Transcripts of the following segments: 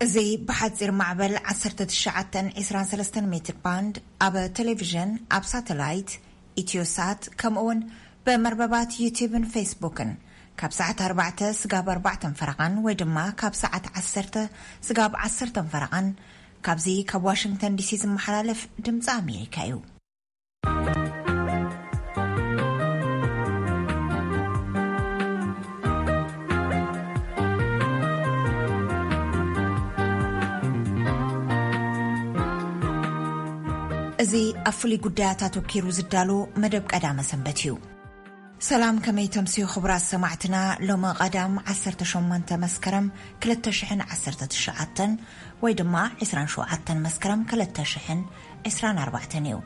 እዚ ብሓጺር ማዕበል ዓሰርተ ትሽዓተ ዕስራን ሰለስተን ሜትር ባንድ፣ ኣብ ቴሌቪዥን፣ ኣብ ሳተላይት፣ ኢትዮሳት፣ ከምኡውን ብመርበባት ዩቲዩብን ፌስቡክን ካብ ሰዓት ኣርባዕተ ስጋብ ኣርባዕተን ፈረቓን ወይ ድማ ካብ ሰዓት ዓሰርተ ስጋብ ዓሰርተን ፈረቓን ካብዚ ካብ ዋሽንግተን ዲሲ ዝመሓላለፍ ድምፂ ኣሜሪካ እዩ። እዚ ኣብ ፍሉይ ጉዳያት ኣተኲሩ ዝዳሎ መደብ ቀዳመ ሰንበት እዩ። ሰላም፣ ከመይ ተምስዩ ክቡራት ሰማዕትና? ሎሚ ቀዳም ዓሰርተ ሸሞንተ መስከረም ክልተ ሽሕን ዓሰርተ ትሽዓተን ወይ ድማ ዕስራን ሸውዓተን መስከረም ክልተ ሽሕን ዕስራን ኣርባዕተን እዩ።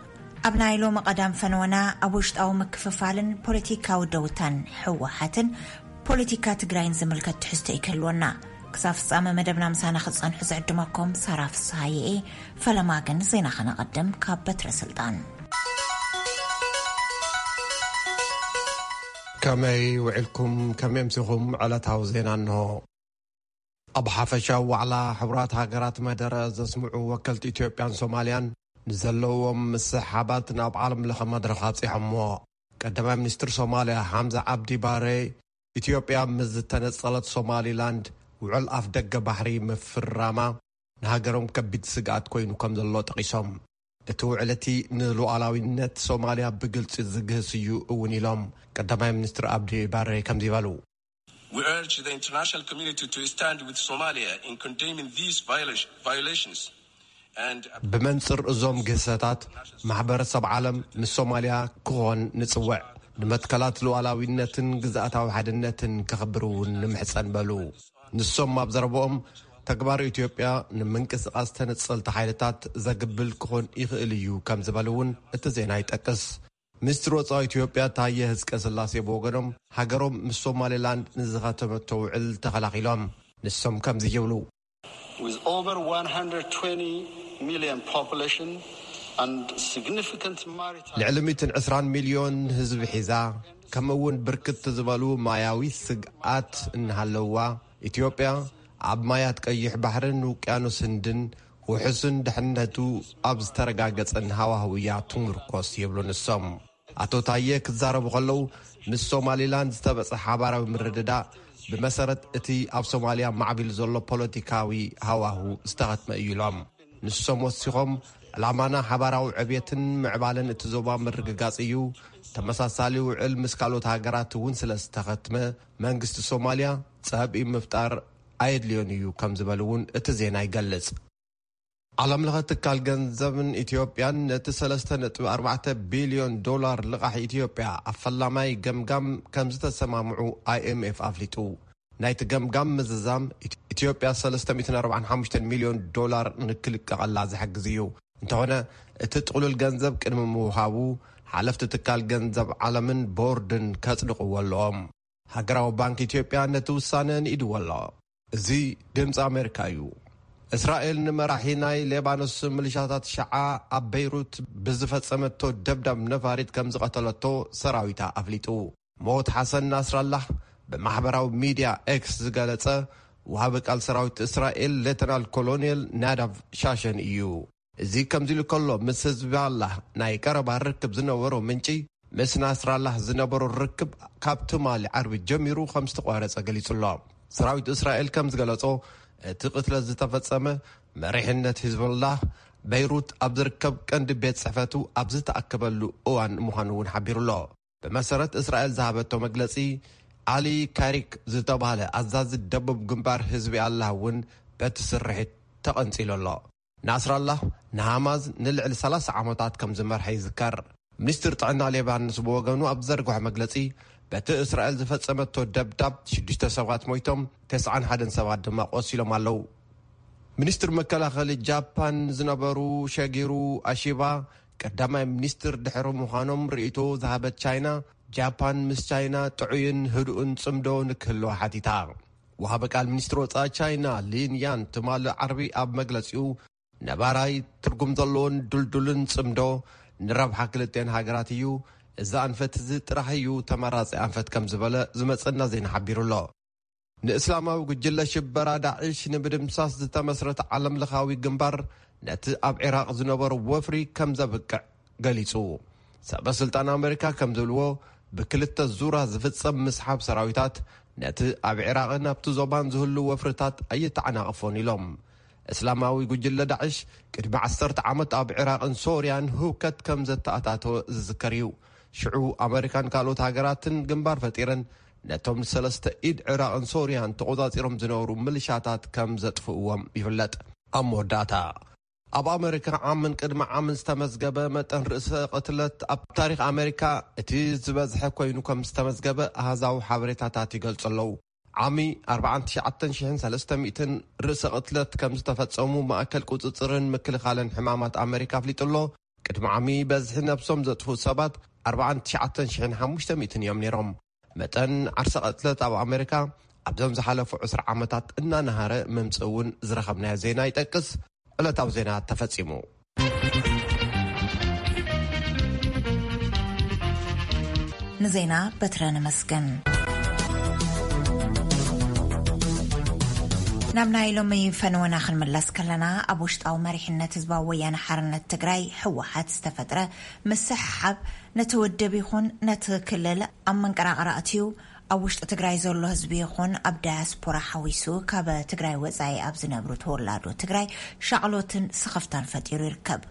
ኣብ ናይ ሎሚ ቀዳም ፈነወና ኣብ ውሽጣዊ ምክፍፋልን ፖለቲካዊ ደውታን ህወሓትን ፖለቲካ ትግራይን ዝምልከት ትሕዝቶ ይክህልወና። ክሳብ ፍጻመ መደብና ምሳና ክትጸንሑ ዝዕድመኩም ሳራ ፍስሃየ እየ። ፈለማ ግን ዜና ከነቐድም ካብ በትረ ስልጣን። ከመይ ውዒልኩም? ከመይ ኣምሲኹም? ዕለታዊ ዜና እንሆ። ኣብ ሓፈሻዊ ዋዕላ ሕቡራት ሃገራት መደረ ዘስምዑ ወከልቲ ኢትዮጵያን ሶማልያን ንዘለዎም ምስሕሓባት ናብ ዓለም ለኸ መድረኽ ኣብፂሖምዎ። ቀዳማይ ሚኒስትር ሶማልያ ሓምዛ ዓብዲ ባሬ፣ ኢትዮጵያ ምስ ዝተነጸለት ሶማሊላንድ ውዕል ኣፍ ደገ ባሕሪ ምፍራማ ንሃገሮም ከቢድ ስግኣት ኮይኑ ከም ዘሎ ጠቒሶም፣ እቲ ውዕል እቲ ንሉዓላዊነት ሶማልያ ብግልጺ ዝግህስ እዩ እውን ኢሎም ቀዳማይ ሚኒስትር ኣብዲ ባሬ ከምዚ በሉ። We urge the international community to stand with Somalia in condemning these violation- violations. And ብመንጽር እዞም ግህሰታት ማሕበረሰብ ዓለም ምስ ሶማልያ ክኾን ንጽውዕ። ንመትከላት ሉዓላዊነትን ግዝኣታዊ ሓድነትን ከኽብር እውን ንምሕጸን በሉ። ንሶም ኣብ ዘረብኦም ተግባር ኢትዮጵያ ንምንቅስቓስ ተነጸልቲ ሓይልታት ዘግብል ክኾን ይኽእል እዩ ከም ዝበሉ እውን እቲ ዜና ይጠቅስ። ሚኒስትር ወጻኢ ኢትዮጵያ ታየ ህዝቀ ስላሴ ብወገኖም ሃገሮም ምስ ሶማሌላንድ ንዝኸተመቶ ውዕል ተኸላኺሎም። ንሶም ከምዚ ይብሉ። With over one hundred twenty million population and significant maritime ልዕሊ ሚእትን ዕስራን ሚልዮን ህዝቢ ሒዛ፣ ከምኡ እውን ብርክት ዝበሉ ማያዊ ስግኣት እናሃለውዋ፣ ኢትዮጵያ ኣብ ማያት ቀይሕ ባሕርን ውቅያኖስ ህንድን ውሑስን ድሕነቱ ኣብ ዝተረጋገጸን ሃዋህው እያ ትምርኮስ ይብሉ ንሶም። ኣቶ ታየ ክዛረቡ ከለዉ፣ ምስ ሶማሊላንድ ዝተበጽሐ ሓባራዊ ምርድዳእ ብመሰረት እቲ ኣብ ሶማልያ ማዕቢሉ ዘሎ ፖለቲካዊ ሃዋህው ዝተኸትመ እዩ ኢሎም። ንሶም ወሲኾም፣ ዕላማና ሓባራዊ ዕብየትን ምዕባለን እቲ ዞባ ምርግጋጽ እዩ። ተመሳሳሊ ውዕል ምስ ካልኦት ሃገራት እውን ስለ ዝተኸትመ፣ መንግስቲ ሶማልያ ጸብኢ ምፍጣር ኣየድልዮን እዩ ከም ዝበሉ እውን እቲ ዜና ይገልጽ። ዓለም ለኸ ትካል ገንዘብን ኢትዮጵያን ነቲ ሰለስተ ነጥቢ ኣርባዕተ ቢልዮን ዶላር ልቓሕ ኢትዮጵያ ኣብ ፈላማይ ገምጋም ከም ዝተሰማምዑ ኣይ ኤም ኤፍ ኣፍሊጡ። ናይቲ ገምጋም ምዝዛም ኢት-፣ ኢትዮጵያ ሰለስተ ሚእትን ኣርባዓን ሓሙሽተን ሚልዮን ዶላር ንክልቀቐላ ዝሕግዝ እዩ። እንተኾነ እቲ ጥቕሉል ገንዘብ ቅድሚ ምውሃቡ ሓለፍቲ ትካል ገንዘብ ዓለምን ቦርድን ከጽድቕዎ ኣለዎም። ሃገራዊ ባንክ ኢትዮጵያ ነቲ ውሳነ ንኢድዎ ኣሎ። እዚ ድምፂ ኣሜሪካ እዩ። እስራኤል ንመራሒ ናይ ሌባኖስ ሚሊሻታት ሸዓ ኣብ በይሩት ብዝፈጸመቶ ደብዳብ ነፋሪት ከም ዝቐተለቶ ሰራዊታ ኣፍሊጡ። ሞት ሓሰን ናስራላህ ብማሕበራዊ ሚድያ ኤክስ ዝገለጸ፣ ወሃቢ ቃል ሰራዊት እስራኤል ሌተናል ኮሎኔል ናዳቭ ሻሸን እዩ። እዚ ከምዚ ኢሉ ከሎ፣ ምስ ህዝቢ ኣላህ ናይ ቀረባ ርክብ ዝነበሮ ምንጪ፣ ምስ ናስራላህ ዝነበሮ ርክብ ካብ ትማሊ ዓርቢ ጀሚሩ ከም ዝተቋረጸ ገሊጹ ኣሎ። ሰራዊት እስራኤል ከም ዝገለጾ፣ እቲ ቅትለት ዝተፈጸመ መሪሕነት ሂዝቦላህ በይሩት ኣብ ዝርከብ ቀንዲ ቤት ጽሕፈቱ ኣብ ዝተኣከበሉ እዋን ምዃኑ እውን ሓቢሩ ኣሎ። ብመሰረት እስራኤል ዝሃበቶ መግለጺ፣ ዓሊ ካሪክ ዝተባህለ ኣዛዚ ደቡብ ግንባር ህዝቢ ኣላህ እውን በቲ ስርሒት ተቐንጺሉ ኣሎ። ናስራላህ ንሃማዝ ንልዕሊ ሰላሳ ዓመታት ከም ዝመርሐ ይዝከር። ሚኒስትር ጥዕና ሌባኖስ ብወገኑ ኣብ ዘርግሖ መግለጺ፣ በቲ እስራኤል ዝፈጸመቶ ደብዳብ ሽዱሽተ ሰባት ሞይቶም፣ ተስዓን ሓደን ሰባት ድማ ቆሲሎም ኣለዉ። ሚኒስትር መከላኸሊ ጃፓን ዝነበሩ ሸጊሩ ኣሺባ ቀዳማይ ሚኒስትር ድሕሪ ምዃኖም ርእይቶ ዝሃበት ቻይና፣ ጃፓን ምስ ቻይና ጥዑይን ህዱእን ጽምዶ ንክህልዋ ሓቲታ። ወሃቢ ቃል ሚኒስትሪ ወጻኢ ቻይና ሊን ያን ትማሊ ዓርቢ ኣብ መግለጺኡ፣ ነባራይ ትርጉም ዘለዎን ድልዱልን ጽምዶ ንረብሓ ክልቲኤን ሃገራት እዩ። እዚ ኣንፈት እዚ ጥራሕ እዩ ተመራጺ ኣንፈት ከም ዝበለ ዝመጸና ዜና ሓቢሩ ኣሎ። ንእስላማዊ ጉጅለ ሽበራ ዳዕሽ ንምድምሳስ ዝተመስረተ ዓለምለኻዊ ግንባር ነቲ ኣብ ዒራቕ ዝነበሩ ወፍሪ ከም ዘብቅዕ ገሊጹ። ሰበ ስልጣን ኣመሪካ ከም ዝብልዎ፣ ብክልተ ዙራ ዝፍጸም ምስሓብ ሰራዊታት ነቲ ኣብ ዒራቕን ኣብቲ ዞባን ዝህሉ ወፍርታት ኣይተዓናቕፎን ኢሎም። እስላማዊ ጉጅለ ዳዕሽ ቅድሚ ዓሰርተ ዓመት ኣብ ዒራቕን ሶርያን ህውከት ከም ዘተኣታተወ ዝዝከር እዩ። ሽዑ ኣመሪካን ካልኦት ሃገራትን ግንባር ፈጢረን ነቶም ሰለስተ ኢድ ዒራቕን ሶርያን ተቖጻጺሮም ዝነበሩ ምልሻታት ከም ዘጥፍእዎም ይፍለጥ። ኣብ መወዳእታ፣ ኣብ ኣመሪካ ዓምን ቅድሚ ዓምን ዝተመዝገበ መጠን ርእሰ ቅትለት ኣብ ታሪኽ ኣመሪካ እቲ ዝበዝሐ ኮይኑ ከም ዝተመዝገበ ኣሃዛዊ ሓበሬታታት ይገልጹ ኣለዉ። ዓሚ ኣርባዓን ትሽዓተ ሽሕን ሰለስተ ሚእትን ርእሰ ቅትለት ከም ዝተፈጸሙ ማእከል ቁጽጽርን ምክልኻልን ሕማማት ኣመሪካ ኣፍሊጡ ኣሎ። ቅድሚ ዓሚ በዝሒ ነብሶም ዘጥፍኡ ሰባት ኣርባዓን ትሽዓተ ሽሕን ሓሙሽተ ሚእትን እዮም ነይሮም። መጠን ዓርሰ ቅትለት ኣብ ኣመሪካ ኣብዞም ዝሓለፉ ዕስራ ዓመታት እናነሃረ ምምጽእ እውን ዝረኸብናዮ ዜና ይጠቅስ። ዕለታዊ ዜና ተፈጺሙ። ንዜና በትረ ነመስግን። ናብ ናይ ሎሚ ፈነወና ክንምለስ ከለና፣ ኣብ ውሽጣዊ መሪሕነት ህዝባዊ ወያነ ሓርነት ትግራይ፣ ህወሓት፣ ዝተፈጥረ ምስሕሓብ ነቲ ውድብ ይኹን ነቲ ክልል ኣብ መንቀራቕራ ኣትዩ፣ ኣብ ውሽጢ ትግራይ ዘሎ ህዝቢ ይኹን ኣብ ዳያስፖራ ሓዊሱ፣ ካብ ትግራይ ወጻኢ ኣብ ዝነብሩ ተወላዶ ትግራይ ሻቕሎትን ስኽፍታን ፈጢሩ ይርከብ።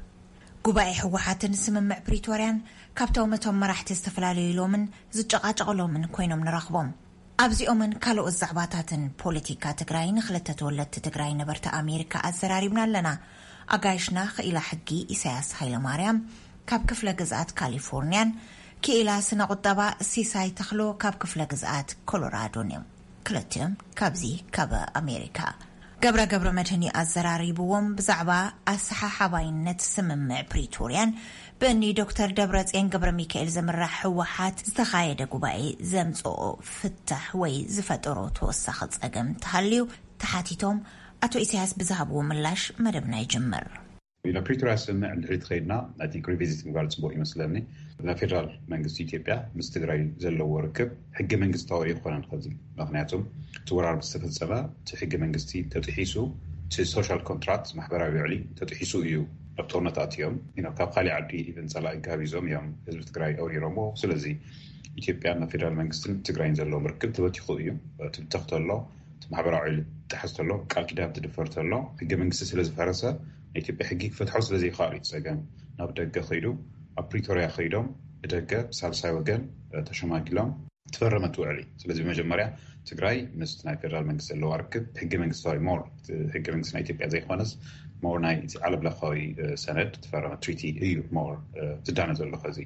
ጉባኤ ህወሓትን ስምምዕ ፕሪቶርያን ካብቶም እቶም መራሕቲ ዝተፈላለዩ ኢሎምን ዝጨቃጨቕሎምን ኮይኖም ንረኽቦም። ኣብዚኦምን ካልኦት ዛዕባታትን ፖለቲካ ትግራይ ንክልተ ተወለድቲ ትግራይ ነበርቲ ኣሜሪካ ኣዘራሪብና ኣለና። ኣጋይሽና ክኢላ ሕጊ ኢሳያስ ሃይለማርያም ካብ ክፍለ ግዝኣት ካሊፎርኒያን ክኢላ ስነ ቁጠባ ሲሳይ ተኽሎ ካብ ክፍለ ግዝኣት ኮሎራዶን እዮም። ክልቲኦም ካብዚ ካብ ኣሜሪካ። ገብረ ገብረ መድህን እዩ ኣዘራሪብዎም። ብዛዕባ ኣሰሓሓባይነት ስምምዕ ፕሪቶርያን ብእኒ ዶክተር ደብረጽዮን ገብረ ሚካኤል ዝምራሕ ህወሓት ዝተኻየደ ጉባኤ ዘምጽኦ ፍታሕ ወይ ዝፈጠሮ ተወሳኺ ጸገም እንተሃልዩ ተሓቲቶም፣ ኣቶ ኢሳያስ ብዝሃብዎ ምላሽ መደብና ይጅምር። ናብ ፕሪቶርያ ስምምዕ እንድሕሪ ትኸይድና፣ I think revisit ምግባር ጽቡቕ ይመስለኒ። ናይ ፌደራል መንግስቲ ኢትዮጵያ ምስ ትግራይ ዘለዎ ርክብ ሕገ መንግስታዊ ኣይኮነን። ከዚ ምክንያቱም እቲ ወራር ምስ ተፈጸመ እቲ ሕገ መንግስቲ ተጥሒሱ፣ እቲ ሶሻል ኮንትራክት፣ ማሕበራዊ ውዕሊ፣ ተጥሒሱ እዩ ናብ ጦርነት ኣትዮም። You know፣ ካብ ካሊእ ዓዲ ኢቨን ጸላኢ ጋቢዞም እዮም ህዝቢ ትግራይ ኣውሪሮምዎ። ስለዚ ኢትዮጵያን ፌደራል መንግስትን ትግራይን ዘለዎም ርክብ ተበቲኹ እዩ። ትብተኽ ተሎ፣ እቲ ማሕበራዊ ውዕሊ ጥሓስ ተሎ፣ ቃል ኪዳን ትድፈር ተሎ፣ ሕገ መንግስቲ ስለ ዝፈረሰ፣ ናይ ኢትዮጵያ ሕጊ ክፈትሖ ስለ ዘይከኣሉ እዩ ጸገም። ናብ ደገ ከይዱ፣ ኣብ ፕሪቶርያ ከይዶም ብደገ ብሳልሳይ ወገን፣ እ፣ ተሸማጊሎም ትፈረመት ውዕሊ። ስለዚ ብመጀመርያ ትግራይ ምስ ናይ ፌደራል መንግስቲ ዘለዋ ርክብ ሕገ መንግስታዊ ሞር፣ ሕገ መንግስቲ ናይ ኢትዮጵያ ዘይኮነስ ሞር ናይ እቲ ዓለም ለኻዊ፣ እ፣ ሰነድ ትፈረመ ትሪቲ እዩ ሞር፣ እ፣ ዝዳነ ዘሎ። ከዚ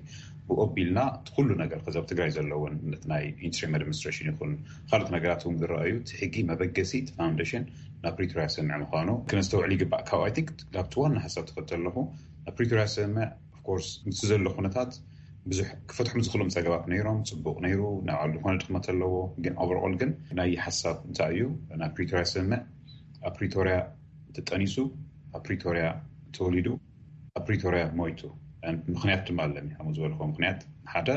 ብኡ ኣቢልና እቲ ኩሉ ነገር ከዚ ኣብ ትግራይ ዘለውን ነቲ ናይ ኢንትሪም ኣድሚኒስትሬሽን ይኹን ካልኦት ነገራት እውን ዝረኣዩ እቲ ሕጊ መበገሲ እቲ ፋውንዴሽን ናብ ፕሪቶርያ ስምምዕ ምዃኑ ክነስተውዕል ይግባእ። ካብ I think ናብቲ ዋና ሓሳብ ትኸድ ዘለኹ ናብ ፕሪቶርያ ስምምዕ ኦፍኮርስ ምስቲ ዘሎ ኩነታት ብዙሕ ክፈትሖም ዝኽእሎም ጸገማት ነይሮም። ጽቡቕ ነይሩ፣ ናይ ባዕሉ ዝኾነ ድኽመት ኣለዎ። ግን ኦቨርኦል ግን ናይ ሓሳብ እንታይ እዩ? ናይ ፕሪቶርያ ስምምዕ ኣብ ፕሪቶርያ ተጠኒሱ፣ ኣብ ፕሪቶርያ ተወሊዱ፣ ኣብ ፕሪቶርያ ሞይቱ። ምኽንያት ድማ ኣለኒ። ከምኡ ዝበልኩ ምኽንያት ሓደ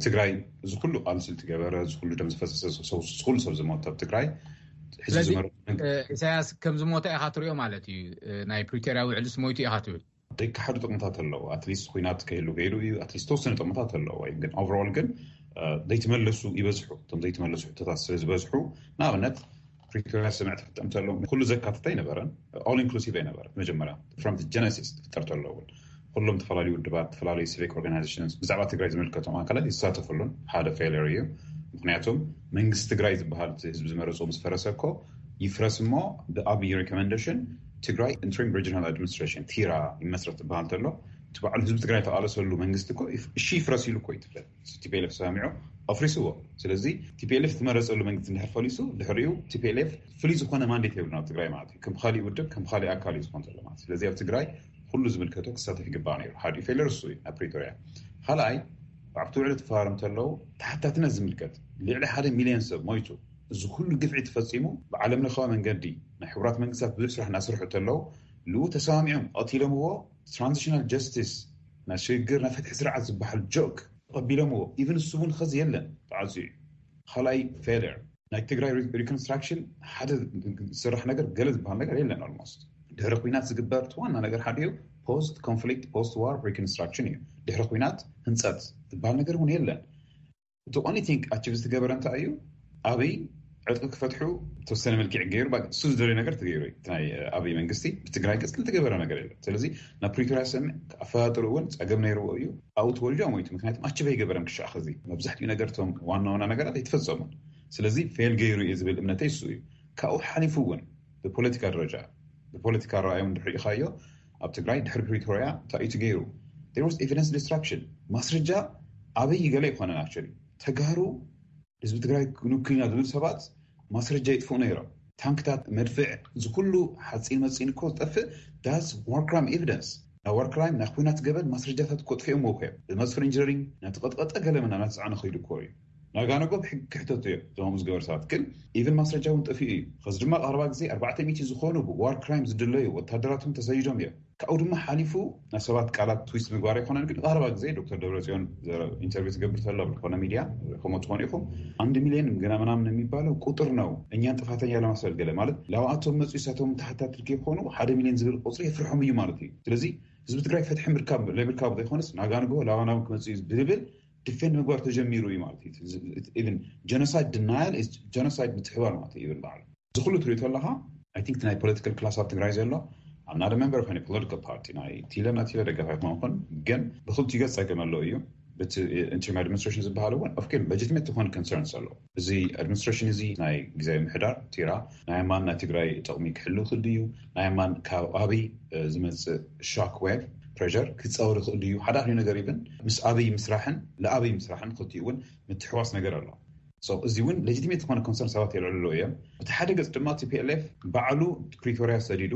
ትግራይ እዚ ኩሉ ቃልሲ ዝገበረ፣ እዚ ኩሉ ደም ዝፈሰሰ፣ ሰብ፣ እዚ ኩሉ ሰብ ዝሞተ ኣብ ትግራይ ሕዚ ስለዚ ዝመረጡ መንግስቲ እ፣ ኢሳያስ ከም ዝሞተ ኢኻ ትሪኦ ማለት እዩ። እ፣ ናይ ፕሪቶርያ ውዕልስ ሞይቱ ኢኻ ትብል? ዘይከሓዱ ጥቕምታት ኣለዎ። ኣትሊስት ኩናት ከይህሉ ገይሩ እዩ። ኣትሊስት ተወሰነ ጥቕምታት ኣለዎ። ወይ ግን ኦቨርኦል ግን እ፣ ዘይተመለሱ ይበዝሑ። እቶም ዘይተመለሱ ሕቶታት ስለ ዝበዝሑ፣ ንኣብነት ፕሪቶርያ ስምምዕ ትፍጠም ተሎ ኩሉ ዘካትት ኣይነበረን። ኦል ኢንክሉሲቭ ኣይነበረ። መጀመርያ ፍሮም ጀነሲስ ትፍጠር ተሎ እውን ኩሎም ዝተፈላለዩ ውድባት፣ ዝተፈላለዩ ሲቪክ ኦርጋናይዜሽንስ፣ ብዛዕባ ትግራይ ዝምልከቶም ኣካላት ይሳተፍሉን ሓደ ፌለር እዩ። ምክንያቱም መንግስቲ ትግራይ ዝበሃል እቲ ህዝቢ ዝመረፆ ምስ ፈረሰ እኮ ይፍረስ እሞ ብኣብይ ሪኮመንዴሽን ትግራይ ኢንትሪም ሪጅናል ኣድሚኒስትሬሽን ቲራ ይመስረት ዝበሃል ተሎ እቲ በዓሉ ህዝቢ ትግራይ ተቃለሰሉ መንግስቲ እኮ ይፍ-፣ እሺ ይፍረስ ኢሉ እኮ እዩ ትፍለጥ። ቲፒኤልኤፍ ተሰማሚዑ ኣፍሪስዎ። ስለዚ ቲፒኤልኤፍ ዝመረፀሉ መንግስቲ እንድሕር ፈሊሱ ድሕሪኡ ቲፒኤልኤፍ ፍሉይ ዝኾነ ማንዴት የብሉን ኣብ ትግራይ ማለት እዩ። ከም ካሊእ ውድብ ከም ካሊእ ኣካል እዩ ዝኾን ዘሎ ማለት እዩ። ስለዚ ኣብ ትግራይ ኩሉ ዝምልከቶ ክሳተፍ ይግባእ ነይሩ። ሓደ ፌለር እሱ እዩ ኣብ ፕሪቶርያ። ካልኣይ ኣብቲ ውዕሊ ተፈራረምቲ ኣለዉ ተሓታትነት ዝምልከት ልዕሊ ሓደ ሚልዮን ሰብ ሞይቱ። እዚ ኩሉ ግፍዒ ተፈፂሙ ብዓለም ለኻዊ መንገዲ ናይ ሕቡራት መንግስታት ብዙሕ ስራሕ እናሰርሑ ተለዉ ልኡ ተሰማሚዖም ቀቲሎምዎ። ትራንዚሽናል ጀስቲስ ናይ ሽግግር ናይ ፍትሒ ስርዓት ዝበሃል ጆክ ተቐቢሎምዎ። ኢቨን እሱ እውን ኸዚ የለን ተዓፅዩ እዩ። ካልኣይ ፌለር ናይ ትግራይ reconstruction ሓደ ዝስራሕ ነገር ገለ ዝበሃል ነገር የለን። Almost ድሕሪ ኩናት ዝግበር ዋና ነገር ሓደ እዩ። Post conflict post war reconstruction እዩ። ድሕሪ ኩናት ህንፀት ዝበሃል ነገር እውን የለን። እቲ only thing achieve ዝተገበረ እንታይ እዩ? ኣብይ ዕጥቂ ክፈትሑ ተወሰነ መልክዕ ገይሩ እሱ ዝደለዩ ነገር ተገይሩ እዩ። ናይ ኣብይ መንግስቲ ብትግራይ ገፅ ዝተገበረ ነገር የለን። ስለዚ ናብ ፕሪቶርያ ስምምዕ ኣፈጣጥሩ እውን ፀገም ነይርዎ እዩ። ኣብኡ ተወልዶ ሞይቱ። ምክንያቱም achieve ኣይገበረን ክሻዕ ኸዚ መብዛሕትኡ ነገር እቶም ዋና ዋና ነገራት ኣይተፈፀሙን። ስለዚ fail ገይሩ እዩ ዝብል እምነተይ እሱ እዩ። ካብኡ ሓሊፉ እውን ብፖለቲካ ደረጃ ብፖለቲካ ረኣዮም ድሕሪ ኢኻዮ ኣብ ትግራይ ድሕሪ ፕሪቶርያ እንታይ እዩ ገይሩ? There was evidence destruction። ማስረጃ ኣብይ ገለ ኣይኮነን። Actually ተጋሩ ህዝቢ ትግራይ ክንክና ዝብል ሰባት ማስረጃ ይጥፍኡ ነይሮም። ታንክታት፣ መድፍዕ፣ እዚ ኩሉ ሓፂን መፂን እኮ ዝጠፍእ that's war crime evidence። ናይ war crime ናይ ኩናት ገበን ማስረጃታት እኮ ጥፊኦም እኮ እዮም። ብመስፍር ኢንጂነሪንግ ናተቐጥቀጠ ገለ ምና ናተፃዕነ ከይዱ እኮ እዩ። ናጋነጎ ብሕጊ ክሕተቱ እዮም እዞም ዝገበሩ ሰባት። ግን even ማስረጃ እውን ጠፊኡ እዩ። ከዚ ድማ ቀረባ ግዜ ኣርባዕተ ሚእቲ ዝኾኑ ብ war crime ዝድለዩ ወታደራትን ተሰይዶም እዮም። ካብኡ ድማ ሓሊፉ ናይ ሰባት ቃላት twist ምግባር ኣይኮነን። ግን ቀረባ ግዜ ዶክተር ደብረፅዮን ኢንተርቪው ትገብር ተላ ብዝኾነ ሚድያ ከምኡ ትኾኑ ኢኹም። አንድ ሚሊዮን ግና ምናምን የሚባለው ቁጥር ነው እኛን ጥፋተኛ ለማስባል ገለ ማለት ላብኣቶም መፁ እሳቶም ተሓታትል ከይኮኑ ሓደ ሚሊዮን ዝብል ቁፅሪ የፍርሖም እዩ ማለት እዩ። ስለዚ ህዝቢ ትግራይ ፍትሒ ምርካብ ለምርካብ ዘይኮነስ ናጋንጎ ላባናም ክመፁ እዩ ብዝብል ዲፌንድ ምግባር ተጀሚሩ እዩ ማለት እዩ። Even genocide denial is genocide ምትሕባር ማለት እዩ ይብል በዓሉ። እዚ ኩሉ ትሪኦ ኣለኻ። I think ናይ ፖለቲካል ክላስ ኣብ ትግራይ ዘሎ I'm not a member of any political party። ናይ ቲለ ናቲለ ደጋፊ ኣይኮንኩን። ግን ብክልቲኡ ገፅ ፀገም ኣሎ እዩ። በቲ ኢንተሪም ኣድሚኒስትሬሽን ዝበሃል እውን ኦፍኮርስ ለጂቲሜት ዝኾነ ኮንሰርንስ ኣሎ። እዚ ኣድሚኒስትሬሽን እዚ ናይ ግዜ ምሕዳር ቲራ ናይ ኣማን ናይ ትግራይ ጥቕሚ ክሕሉ ክእል እዩ? ናይ ኣማን ካብ ኣብይ ዝመፅእ ሻክ ዌቭ ፕሬር ክፀወር ይኽእል እዩ? ሓደ ኣህሊ ነገር ይብን ምስ ኣብይ ምስራሕን ለኣብይ ምስራሕን ክልቲኡ እውን ምትሕዋስ ነገር ኣሎ። እዚ እውን ለጂቲሜት ዝኾነ ኮንሰርን ሰባት የልዕልሎ እዮም። እቲ ሓደ ገፅ ድማ ቲፒኤልኤፍ ባዕሉ ፕሪቶርያ ሰዲዱ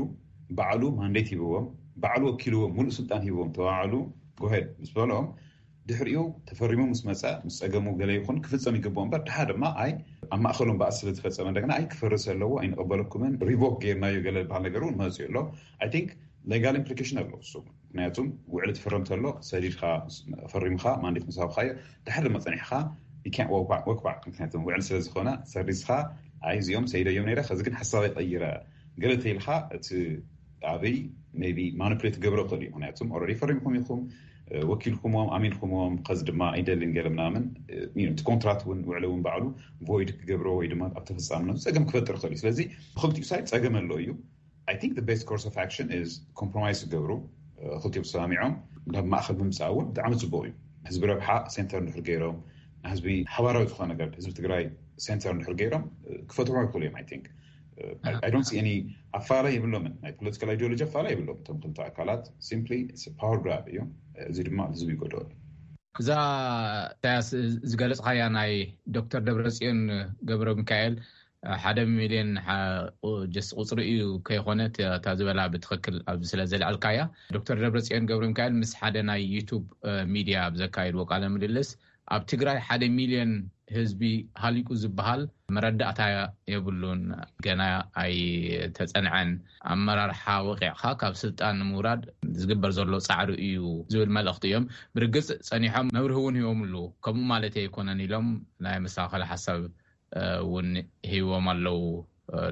ባዕሉ ማንዴት ሂብዎም ባዕሉ ወኪልዎም ሙሉእ ስልጣን ሂብዎም ተባዕሉ ጎሄድ ምስ በሎም ድሕሪኡ ተፈሪሙ ምስ መፀ ምስ ፀገሙ ገለ ይኹን ክፍፀም ይግብኦ እምበር ድሓ ድማ ኣይ ኣብ ማእኸሎም በኣስ ስለዝፈፀመ እንደገና ኣይ ክፈርስ ኣለዎ ኣይንቐበለኩምን ሪቮክ ገይርናዮ ገለ ዝበሃል ነገር እውን መፅኡ ኣሎ። I think legal implication ኣለዎ እሱ። ምክንያቱም ውዕሊ ትፍረም ተሎ ሰዲድካ ፈሪምካ ማንዴት ምስ ሃብካዮ ድሓር ድማ ፀኒሕካ ወክባዕ ምክንያቱም ውዕሊ ስለዝኾነ ሰሪዝካ ኣይ እዚኦም ሰይደዮም ነይረ ከዚ ግን ሓሳበይ ቀይረ ገለ ተይልካ እቲ ኣብይ ቢ ማኒፕሌት ገብረ ክእል እዩ። ምክንያቱም ኦረዲ ፈሪምኩም ኢኹም ወኪልኩምዎም ኣሚንኩምዎም ከዚ ድማ ኣይደልን ገለ ምናምን እቲ ኮንትራት እውን ውዕሊ እውን ባዕሉ ቮይድ ክገብሮ ወይ ድማ ኣብ ተፈፃምነቱ ፀገም ክፈጥር ክእል እዩ። ስለዚ ብክልቲኡ ሳይድ ፀገም ኣሎ እዩ። I think the best course of action is compromise ክገብሩ ክልቲኦም ተሰማሚዖም ናብ ማእኸል ምምፃእ እውን ብጣዕሚ ፅቡቅ እዩ። ህዝቢ ረብሓ ሴንተር እንድሕር ገይሮም ንህዝቢ ሓባራዊ ዝኾነ ነገር ህዝቢ ትግራይ ሴንተር እንድሕር ገይሮም ክፈትሑ ይኽእሉ እዮም። I think I don't see any ኣፋላ የብሎምን። ናይ ፖለቲካል ኣይዲዮሎጂ ኣፋላ የብሎም። እቶም ክልተ ኣካላት simply power grab እዮም። እዚ ድማ ህዝቢ ይጎድኦ። እዛ ኢሳያስ ዝገለፅካያ ናይ ዶክተር ደብረፅዮን ገብረ ሚካኤል ሓደ ሚልዮን ጀስት ቁፅሪ እዩ ከይኮነ እታ ዝበላ ብትኽክል ኣብዚ ስለ ዘልዐልካያ። ዶክተር ደብረፅዮን ገብረ ሚካኤል ምስ ሓደ ናይ ዩቱብ ሚድያ ኣብ ዘካየድዎ ቃለ ምልልስ ኣብ ትግራይ ሓደ ሚልዮን ህዝቢ ሃሊቁ ዝበሃል መረዳእታ የብሉን፣ ገና ኣይተፀንዐን፣ ኣመራርሓ ወቂዕካ ካብ ስልጣን ንምውራድ ዝግበር ዘሎ ፃዕሪ እዩ ዝብል መልእኽቲ እዮም። ብርግፅ ፀኒሖም መብርሂ እውን ሂቦምሉ፣ ከምኡ ማለት ኣይኮነን ኢሎም ናይ መስተኻኸሊ ሓሳብ እውን ሂቦም ኣለዉ።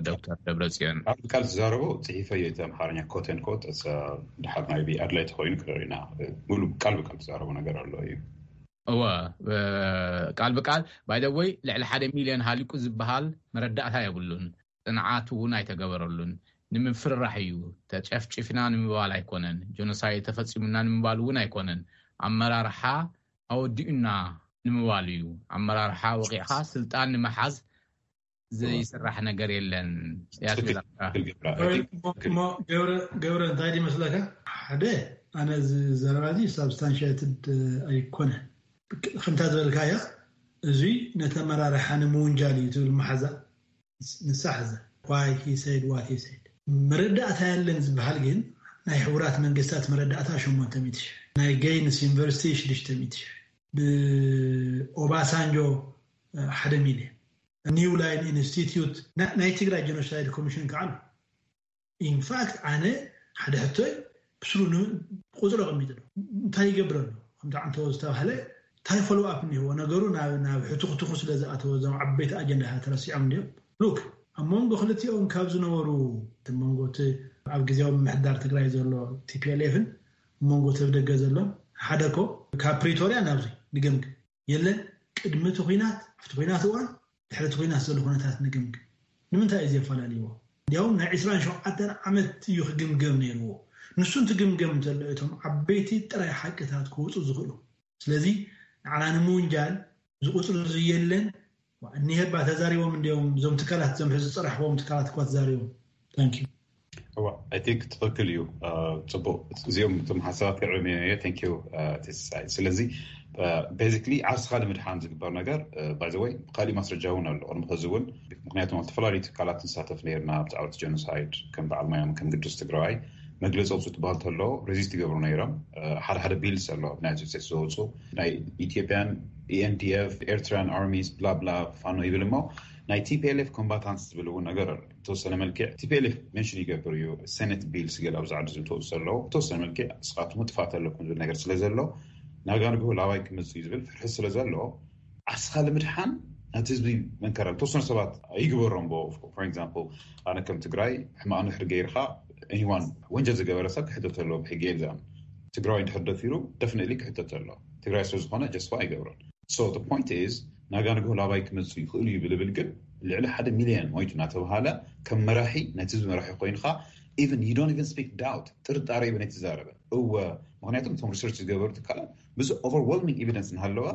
ዶክተር ደብረፅዮን ቃል ብቃል ዝዛረቦ ፅሒፈዮ እቲ ኣምሓርኛ ኮት ን ኮት ድሓር ናይ ኣድላይ ተኮይኑ ክረሪና ሙሉ ቃል ብቃል ዝዛረቦ ነገር ኣሎ እዩ። እወ ቃል ብቃል ባይደወይ ልዕሊ ሓደ ሚልዮን ሃሊቁ ዝበሃል መረዳእታ የብሉን። ፅንዓት እውን ኣይተገበረሉን። ንምፍርራሕ እዩ። ተጨፍጭፍና ንምባል ኣይኮነን። ጆኖሳይድ ተፈፂሙና ንምባል እውን ኣይኮነን። ኣመራርሓ ኣወዲኡና ንምባል እዩ። ኣመራርሓ ወቂዕካ ስልጣን ንምሓዝ ዘይስራሕ ነገር የለን። ገብረ እንታይ ይመስለካ? ሓደ ኣነ እዚ ዘረባ እዚ ሳብስታንሽትድ ኣይኮነ። ከምታ ዝበልካ እያ። እዚ ነቲ ኣመራርሓ ንምውንጃል እዩ ትብል መሓዛ ንሳ ሓዘ ዋይ ሂሰይድ ዋት ሂሰይድ መረዳእታ ያለን ዝበሃል ግን ናይ ሕቡራት መንግስታት መረዳእታ ሸሞንተ ሚእቲ ሽሕ ናይ ገይንስ ዩኒቨርሲቲ ሽዱሽተ ሚእቲ ሽሕ ብኦባሳንጆ ሓደ ሚልዮን ኒው ላይን ኢንስቲትዩት ናይ ትግራይ ጀኖሳይድ ኮሚሽን ከዓ ኣሎ። ኢንፋክት ኣነ ሓደ ሕቶይ ብስሩ ቁፅሪ ኣቐሚጡ ኣሎ። እንታይ ይገብር ኣሎ? ከምቲ ዓንተዎ ዝተባህለ እንታይ ፎሎው ኣፕ እኒህዎ? ነገሩ ናብ ናብ ሕቱኽቱኹ ስለ ዝኣተወ እዞም ዓበይቲ ኣጀንዳታት ተረሲዖም እንዲዮም። ሉክ፣ ኣብ መንጎ ክልቲኦም ካብ ዝነበሩ እቲ መንጎ እቲ ኣብ ግዜያዊ ምምሕዳር ትግራይ ዘሎ ቲ ፒ ኤል ኤፍን መንጎ እቲ ኣብ ደገ ዘሎ ሓደ ኮ ካብ ፕሪቶርያ ናብዚ ንገምግም የለን። ቅድሚ እቲ ኩናት ኣብቲ ኩናት እዋን ድሕሪ እቲ ኩናት ዘሎ ኩነታት ንገምግም። ንምንታይ እዩ ዘፈላለይዎ? እንዲያውም ናይ ዕስራን ሸውዓተን ዓመት እዩ ክግምገም ነይርዎ። ንሱ እንትግምገም እንተሎ እቶም ዓበይቲ ጥራይ ሓቅታት ክወፁ ዝኽእሉ። ስለዚ ንዓና ንምውንጃል ዝቁፅሩ ዝየለን እኒሀባ ተዛሪቦም እንዲዮም እዞም ትካላት እዞም ሕዚ ዝፀራሕዎም ትካላት እኳ ተዛሪቦም። Thank you። እዋ I think ትኽክል እዩ። ጽቡቅ፣ እዚኦም እቶም ሓሳባት ክዕም እየ። Thank you። ስለዚ basically ዓርስኻ ንምድሓን ዝግበር ነገር ባይዘወይ ብካሊእ ማስረጃ እውን ኣሎ ቅድሚ ከዚ እውን። ምክንያቱም ኣብ ዝተፈላለዩ ትካላት ንሳተፍ ነርና ብዛዕባ ጀኖሳይድ ከም በዓል ማዮም ከም ግዱስ ትግራዋይ መግለፂ ኣውፅኡ ትበሃል ተሎ ሬዚስት ይገብሩ ነይሮም። ሓደ ሓደ ቢልስ ኣሎ ናይ ስቴትስ ዝወፁ ናይ ኢትዮጵያን ኢኤንዲኤፍ ኤርትራን ኣርሚስ ብላብላ ፋኖ ይብል እሞ ናይ ቲ ፒ ኤል ኤፍ ኮምባታንትስ ዝብል እውን ነገር ኣሎ። ተወሰነ መልክዕ ቲ ፒ ኤል ኤፍ ሜንሽን ይገብር እዩ። ሴኔት ቢልስ ገለ ኣብዚ ዓዲ ዝምትኡ ዘሎ ተወሰነ መልክዕ እስኻትኩም ጥፋት ኣለኩም ዝብል ነገር ስለ ዘሎ ናጋ ንግሆ ላባይ ክመፅእ እዩ ዝብል ፍርሒ ስለ ዘሎ ዓስኻ ንምድሓን ናቲ ህዝቢ መንከራ ተወሰኑ ሰባት ይግበሮም። ፎር ኤግዛምፕል ኣነ ከም ትግራይ ሕማቕ ንድሕሪ ገይርካ ኒዋን ወንጀል ዝገበረ ሰብ ክሕተት ኣለዎ ብሕጊ። ኤግዛም ትግራይ እንድሕር ደፊሩ ደፍነትሊ ክሕተት ኣሎ ትግራይ ስለ ዝኾነ ጀስፋ ኣይገብሮን። So the point is ናጋ ንግሆ ላባይ ክመፁ ይኽእሉ እዩ ብልብል ግን ልዕሊ ሓደ ሚሊዮን ሞይቱ እናተባሃለ ከም መራሒ ናይቲ ህዝቢ መራሒ ኮይንካ even you don't even speak doubt ጥርጣሬ ይብን ኣይትዛረበ እወ ምክንያቱም እቶም ሪሰርች ዝገበሩ ትካላት ብዙ overwhelming evidence እናሃለዋ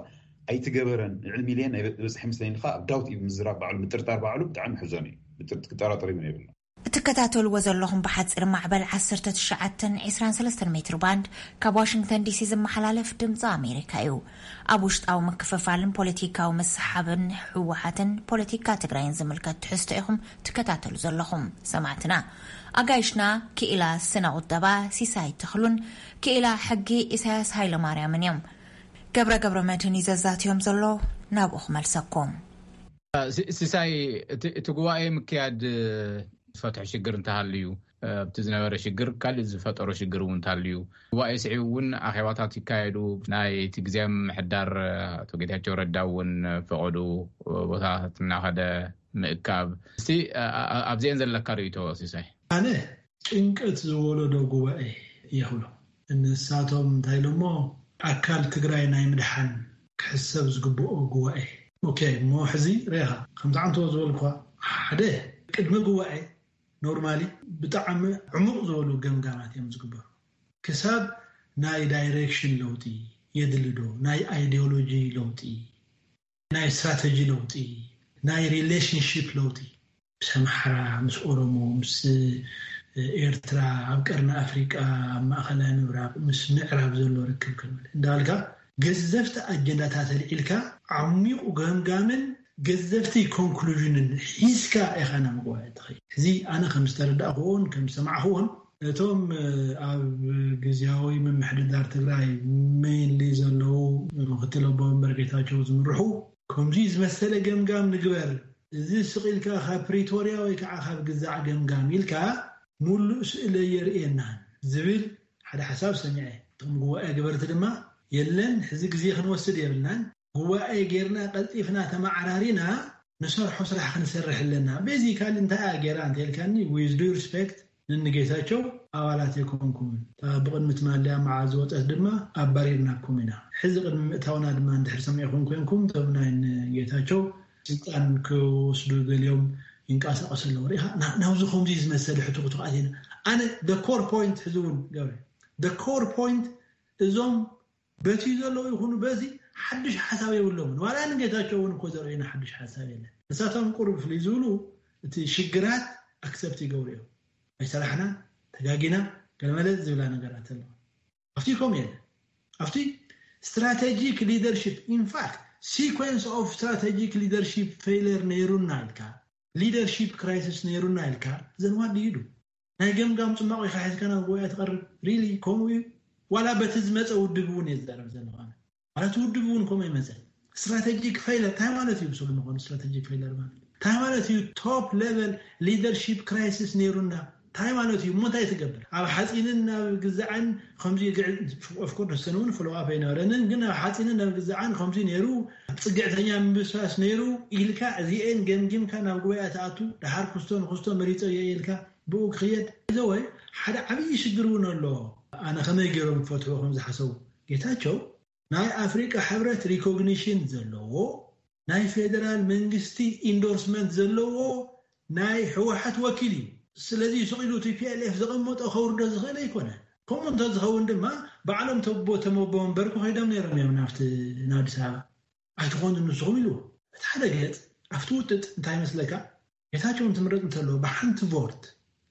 ኣይትገበረን ልዕሊ ሚሊዮን ናይ በፅሒ ምስለኒ ኢልካ ኣብ ዳውት እዩ ምዝራብ ባዕሉ ምጥርጣር ባዕሉ ብጣዕሚ ሕዘን እዩ። ክጠራጠር ይብን የብሎ። እትከታተልዎ ዘለኹም ብሓፂር ማዕበል ዓሰርተ ትሽዓተን ዕስራን ሰለስተን ሜትር ባንድ ካብ ዋሽንግተን ዲሲ ዝመሓላለፍ ድምፂ ኣሜሪካ እዩ። ኣብ ውሽጣዊ ምክፍፋልን ፖለቲካዊ ምስሓብን ህወሓትን ፖለቲካ ትግራይን ዝምልከት ትሕዝቶ ኢኹም ትከታተሉ ዘለኹም ሰማዕትና። ኣጋይሽና ክኢላ ስነ ቁጠባ ሲሳይ ተኽሉን ክኢላ ሕጊ ኢሳያስ ሃይለማርያምን እዮም። ገብረ ገብረ መድህን እዩ ዘዛትዮም ዘሎ። ናብኡ ክመልሰኩም። ሲሳይ፣ እቲ ጉባኤ ምክያድ ዝፈትሖ ሽግር እንተሃልዩ ኣብቲ ዝነበረ ሽግር ካልእ ዝፈጠሮ ሽግር እውን እንተሃልዩ ጉባኤ ስዒቡ እውን ኣኼባታት ይካየዱ። ናይ እቲ ግዜ ምሕዳር ኣቶ ጌታቸው ረዳ እውን ፈቐዱ ቦታታት እናኸደ ምእካብ። እስቲ ኣብዚአን ዘለካ ርእይቶ ሲሳይ? ኣነ ጭንቀት ዝወለዶ ጉባኤ ይኽብሎ። ንሳቶም እንታይ ኢሎሞ ኣካል ትግራይ ናይ ምድሓን ክሕሰብ ዝግብኦ ጉባኤ። ኦኬ እሞ ሕዚ ሬኻ ከምቲ ዓንተዎ ዝበልኳ ሓደ ቅድሚ ጉባኤ ኖርማሊ ብጣዕሚ ዕሙቕ ዝበሉ ገምጋማት እዮም ዝግበሩ። ክሳብ ናይ ዳይሬክሽን ለውጢ የድሊ ዶ፣ ናይ ኣይዲዮሎጂ ለውጢ፣ ናይ ስትራተጂ ለውጢ፣ ናይ ሪሌሽንሽፕ ለውጢ ምስ ኣምሓራ፣ ምስ ኦሮሞ፣ ምስ ኤርትራ፣ ኣብ ቀርኒ ኣፍሪቃ፣ ኣብ ማእኸላይ ምብራቕ፣ ምስ ምዕራብ ዘሎ ርክብ ክንብል እንዳበልካ ገዘፍቲ ኣጀንዳታት ኣልዒልካ ዓሚቑ ገምጋምን ገዘፍቲ ኮንክሉዥንን ሒዝካ ኢኻ ናብ ጉባኤ ትኸይድ። እዚ ኣነ ከም ዝተረዳእክዎን ከም ዝሰማዕክዎን እቶም ኣብ ግዝያዊ ምምሕድዳር ትግራይ ሜይንሊ ዘለዉ ምክትል ኣቦ ወንበር ጌታቸው ዝምርሑ ከምዚ ዝመሰለ ገምጋም ንግበር፣ እዚ ስቕ ኢልካ ካብ ፕሪቶርያ ወይ ከዓ ካብ ግዛዕ ገምጋም ኢልካ ሙሉእ ስእለ የርእየናን ዝብል ሓደ ሓሳብ ሰሚዐ። እቶም ጉባኤ ገበርቲ ድማ የለን ሕዚ ግዜ ክንወስድ የብልናን፣ ጉባኤ ጌርና ቀልጢፍና ተመዓራሪና ንሰርሖ ስራሕ ክንሰርሕ ኣለና። ቤዚካሊ እንታይ እያ ጌራ እንተልካኒ with due respect ንንጌታቸው ኣባላት ኣይኮንኩምን። ብቕድሚ ትማሊ ኣብ መዓዝ ዝወፀት ድማ ኣባሪርናኩም ኢና። ሕዚ ቅድሚ ምእታውና ድማ እንድሕር ሰሚዕኹም ኮንኩም እቶም ናይ ንጌታቸው ስልጣን ክወስዱ ገሊኦም ይንቀሳቐሱ ኣለዉ። ርኢኻ ናብዚ ከምዚ ዝመሰለ ሕቱኽቱኽ ኣቲና። ኣነ the core point ሕዚ እውን ገብረ the core point እዞም በቲ ዘለዉ ይኹኑ በዚ ሓድሽ ሓሳብ የብሎምን። ዋላ ንጌታቸው እውን እኮ ዘርእዩና ሓድሽ ሓሳብ የለን። ንሳቶም ቁሩብ ፍልይ ዝብሉ እቲ ሽግራት ኣክሰፕት ይገብሩ እዮም። ኣይሰራሕና ተጋጊና ገለመለ ዝብላ ነገራት ኣለዋ። ኣብቲ ከምኡ የለን። ኣብቲ strategic leadership in fact sequence of strategic leadership failure ነይሩና ኢልካ leadership crisis ነይሩና ኢልካ then what do you do? ናይ ገምጋም ፅማቕ ኢኻ ሒዝካ ናብ ጉባኤ ትቐርብ? ሪሊ ከምኡ እዩ? ዋላ በቲ ዝመፀ ውድብ እውን እየ ዝዛረብ ዘለኹ ኣነ። ማለት ውድብ እውን ከምኡ ይመፀ። ስትራቴጂክ ፌይለር እንታይ ማለት እዩ? ብስሩ ንኾኑ ስትራቴጂክ ፌይለር ማለት እንታይ ማለት እዩ? ቶፕ ሌቨል ሊደርሺፕ ክራይሲስ ነይሩና። እንታይ ማለት እዩ እሞ እንታይ ትገብር? ኣብ ሓፂንን ናብ ግዛዕን ከምዚ ግዕ- of course ንሰን እውን ፍለዋፕ ኣይነበረንን፣ ግን ኣብ ሓፂንን ናብ ግዛዕን ከምዚ ነይሩ፣ ኣብ ፅግዕተኛ ምብስባስ ነይሩ ኢልካ እዚኤን ገምጊምካ ናብ ጉባኤ ትኣቱ። ደሓር ክስቶ ንክስቶ መሪፀ እየ ኢልካ ብኡ ክኽየድ ዘወይ ሓደ ዓብዪ ሽግር እውን ኣሎ። ኣነ ከመይ ገይሮም ክፈትሑ ከም ዝሓሰቡ? ጌታቸው ናይ ኣፍሪቃ ሕብረት ሪኮግኒሽን ዘለዎ ናይ ፌደራል መንግስቲ ኢንዶርስመንት ዘለዎ ናይ ህወሓት ወኪል እዩ። ስለዚ ስቕ ኢሉ ቲ ፒ ኤል ኤፍ ዘቐመጦ ከውርዶ ዝኽእል ኣይኮነ። ከምኡ እንተዝኸውን ድማ ባዕሎም ተቦ ተመቦ ወንበር ክኸይዶም ነይሮም እዮም ናብቲ ናብ ኣዲስ ኣበባ። ኣይትኾኑን ንስኹም ኢሉ። እቲ ሓደ ገጽ ኣብቲ ውጥጥ እንታይ መስለካ? ጌታቸው እንትምረጥ እንተሎ ብሓንቲ ቮርት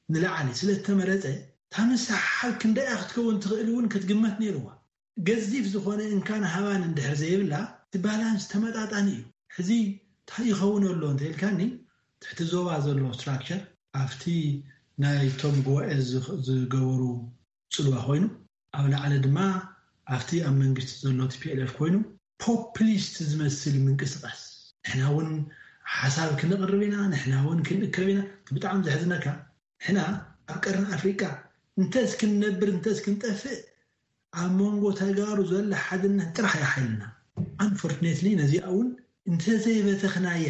ንላዕሊ ስለ ዝተመረጸ እታ ምስሓሓብ ክንደያ ክትከውን ትኽእል እውን ክትግመት ነይርዋ። ገዚፍ ዝኾነ እንካን ሃባን እንድሕር ዘይብላ እቲ ባላንስ ተመጣጣኒ እዩ። ሕዚ እንታይ ይኸውን ኣሎ እንተኢልካኒ ትሕቲ ዞባ ዘሎ ስትራክቸር ኣብቲ ናይ ቶም ጉባኤ ዝገበሩ ፅልዋ ኮይኑ ኣብ ላዕሊ ድማ ኣብቲ ኣብ መንግስቲ ዘሎ ቲ ፒ ኤል ኤፍ ኮይኑ ፖፕሊስት ዝመስል ምንቅስቃስ ንሕና እውን ሓሳብ ክንቕርብ ኢና ንሕና እውን ክንእከብ ኢና። ብጣዕሚ ዘሕዝነካ ንሕና ኣብ ቀርኒ ኣፍሪቃ እንተስ ክንነብር እንተስ ክንጠፍእ ኣብ መንጎ ተጋሩ ዘሎ ሓድነት ጥራሕ እያ ሓይልና። ኣንፎርትኔትሊ ነዚኣ እውን እንተዘይበተኽናያ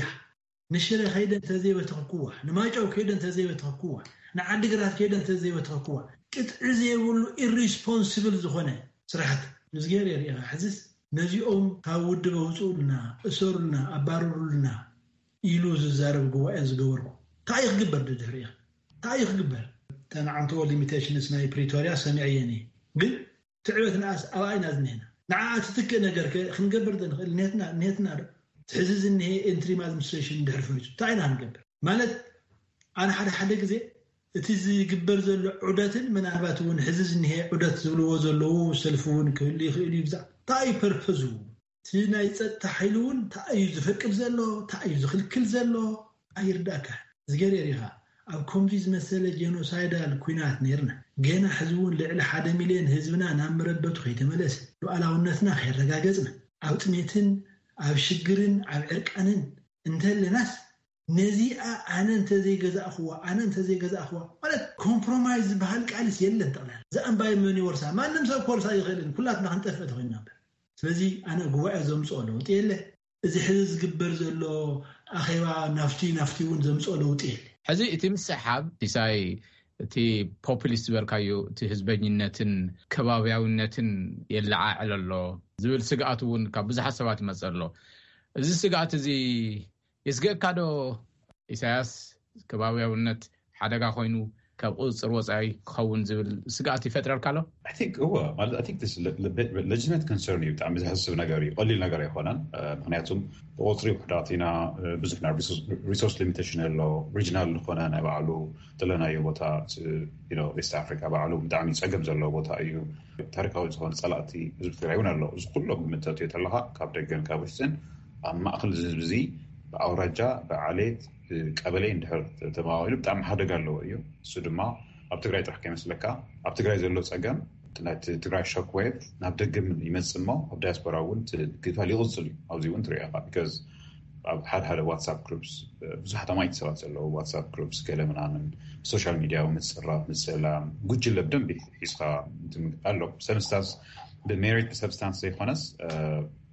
ንሽረ ከይደ እንተዘይበተኽኩዋ ንማይጨው ከይደ እንተዘይበተኽኩዋ ንዓዲግራት ከይደ እንተዘይበተኽኩዋ ቅጥዒ ዘይብሉ ኢሪስፖንስብል ዝኾነ ስራሕት ምስ ገይረ ርኢኻ ሕዝስ ነዚኦም ካብ ውድብ ኣውፅኡልና እሰሩልና ኣባርሩልና ኢሉ ዝዛረብ ጉባኤ ዝገበርኩ እንታይ ክግበር ድድሕሪ እንታይ ክግበር? ተናዓንትዎ ሊሚቴሽንስ ናይ ፕሪቶሪያ ሰሚዐየን እየ ግን ትዕበትናስ ኣብኣ ኢና ዝኒሀና። ንዓ ትትክእ ነገር ክንገብር ዶ ንኽእል? ኔትና ኔትና ዶ ትሕዚ ዝኒሀ ኢንትሪም ኣድሚኒስትሬሽን ድሕሪ ፈሪሱ እንታይ ኢና ክንገብር? ማለት ኣነ ሓደ ሓደ ግዜ እቲ ዝግበር ዘሎ ዑደትን ምናልባት እውን ሕዚ ዝኒሀ ዑደት ዝብልዎ ዘለዉ ሰልፊ እውን ክህሉ ይኽእል እዩ። ብዛዕ እንታይ ፐርፐዙ እቲ ናይ ፀጥታ ሓይሊ እውን እንታይ እዩ ዝፈቅድ ዘሎ እንታይ እዩ ዝኽልክል ዘሎ ኣይርዳእካ። ዝገርየር ኢኻ ኣብ ከምዚ ዝመሰለ ጀኖሳይዳል ኩናት ነይርና ገና ሕዚ እውን ልዕሊ ሓደ ሚልዮን ህዝብና ናብ መረበቱ ከይተመለሰ ሉዓላውነትና ከይረጋገፅና ኣብ ጥሜትን ኣብ ሽግርን ኣብ ዕርቃንን እንተለናስ ነዚኣ ኣነ እንተዘይገዛእኽዋ ኣነ እንተዘይገዛእኽዋ ማለት ኮምፕሮማይዝ ዝበሃል ቃልስ የለን። ጠቕላላ እዛ እምባይ መን ይወርሳ ማንም ሰብ ክወርሳ ይኽእልን ኩላትና ክንጠፍእ ተኮይንና እምበር ስለዚ ኣነ ጉባኤ ዘምፅኦ ለውጢ የለ። እዚ ሕዚ ዝግበር ዘሎ ኣኼባ ናፍቲ ናፍቲ እውን ዘምፅኦ ለውጢ የለ። ሕዚ እቲ ምስሕሓብ ሲሳይ እቲ ፖፕሊስት ዝበልካዮ እቲ ህዝበኝነትን ከባብያውነትን የለዓዕል ኣሎ ዝብል ስግኣት እውን ካብ ብዙሓት ሰባት ይመፅእ ኣሎ። እዚ ስግኣት እዚ የስግእካ ዶ ኢሳያስ? ከባብያውነት ሓደጋ ኮይኑ ካብ ቁፅፅር ወፃኢ ክኸውን ዝብል ስግኣት ይፈጥረልካ ኣሎ? I think እወ ማለት I think this is a le- le- bit legitimate concern እዩ። ብጣዕሚ ዘሕስብ ነገር እዩ። ቀሊል ነገር ኣይኮነን። ምክንያቱም ብቁፅሪ ውሕዳት ኢና። ብዙሕ ናይ resource limitation ኣሎ። Regional ዝኾነ ናይ ባዕሉ ዘለናዮ ቦታ East Africa ባዕሉ ብጣዕሚ ፀገም ዘለዎ ቦታ እዩ። ታሪካዊ ዝኾነ ፀላእቲ ህዝቢ ትግራይ እውን ኣሎ። እዚ ኩሎም ግምት ተእትዮ ተለካ ካብ ደገን ካብ ውሽጥን ኣብ ማእከል እዚ ህዝቢ እዚ ብኣውራጃ ብዓሌት ቀበሌ እንድሕር ተመቓቒሉ ብጣዕሚ ሓደጋ ኣለዎ እዩ። እሱ ድማ ኣብ ትግራይ ጥራሕ ከይመስለካ ኣብ ትግራይ ዘሎ ፀገም ናይቲ ትግራይ shock wave ናብ ደገ ይመፅእ እሞ ኣብ ዳያስፖራ እውን እቲ ግፋል ይቕፅል እዩ። ኣብዚ እውን ትሪኦ ኢኻ because ኣብ ሓደ ሓደ WhatsApp groups ብዙሓት ኣማይቲ ሰባት ዘለዉ WhatsApp groups ገለ ምናምን social media ምፅራፍ ምፅላም ጉጅለ ብደንቢ ሒዝካ ኣሎ። ሰብስታንስ ብ merit ብ substance ዘይኮነስ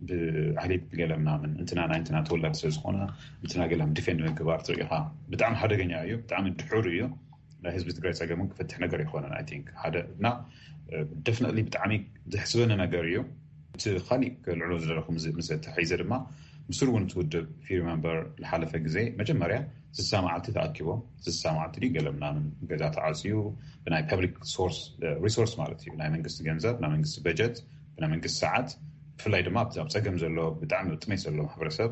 ብዓሌት ብገለ ምናምን እንትና ናይ እንትና ተወላዲ ስለ ዝኾነ እንትና ገለ defend ምግባር ትርኢ ኢኻ። ብጣዕሚ ሓደገኛ እዩ። ብጣዕሚ ድሑር እዩ። ናይ ህዝቢ ትግራይ ፀገም እውን ክፈትሕ ነገር ኣይኮነን። I think ሓደ እና definitely ብጣዕሚ ዘሕስበኒ ነገር እዩ። እቲ ካሊእ ክልዕሎ ዝደለኹ ምስ ተታሒዘ ድማ ብስሩ እውን እቲ ውድብ if you remember ዝሓለፈ ግዜ መጀመርያ ስሳ መዓልቲ ተኣኪቦም ስሳ መዓልቲ ድዩ ገለ ምናምን ገዛ ተዓፅዩ ብናይ public source resource ማለት እዩ ናይ መንግስቲ ገንዘብ ናይ መንግስቲ በጀት ብናይ መንግስቲ ሰዓት ብፍላይ ድማ ኣብ ፀገም ዘሎ ብጣዕሚ ጥሜት ዘሎ ማሕበረሰብ